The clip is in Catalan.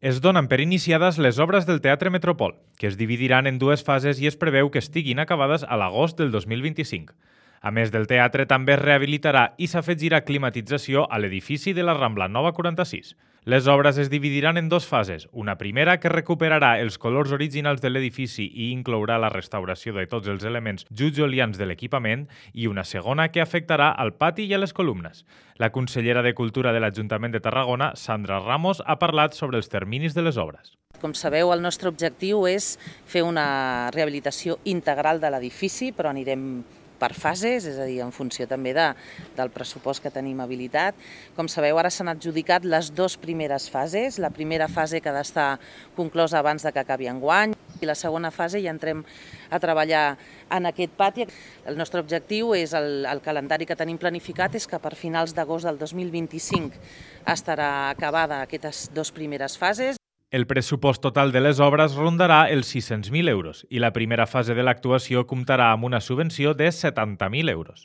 Es donen per iniciades les obres del Teatre Metropol, que es dividiran en dues fases i es preveu que estiguin acabades a l'agost del 2025. A més del teatre, també es rehabilitarà i s'afegirà climatització a l'edifici de la Rambla Nova 46. Les obres es dividiran en dues fases. Una primera que recuperarà els colors originals de l'edifici i inclourà la restauració de tots els elements jutjolians de l'equipament i una segona que afectarà al pati i a les columnes. La consellera de Cultura de l'Ajuntament de Tarragona, Sandra Ramos, ha parlat sobre els terminis de les obres. Com sabeu, el nostre objectiu és fer una rehabilitació integral de l'edifici, però anirem per fases, és a dir, en funció també del pressupost que tenim habilitat. Com sabeu, ara s'han adjudicat les dues primeres fases. La primera fase que ha d'estar conclosa abans de que acabi enguany i la segona fase ja entrem a treballar en aquest pati. El nostre objectiu és, el calendari que tenim planificat és que per finals d'agost del 2025 estarà acabada aquestes dues primeres fases. El pressupost total de les obres rondarà els 600.000 euros i la primera fase de l'actuació comptarà amb una subvenció de 70.000 euros.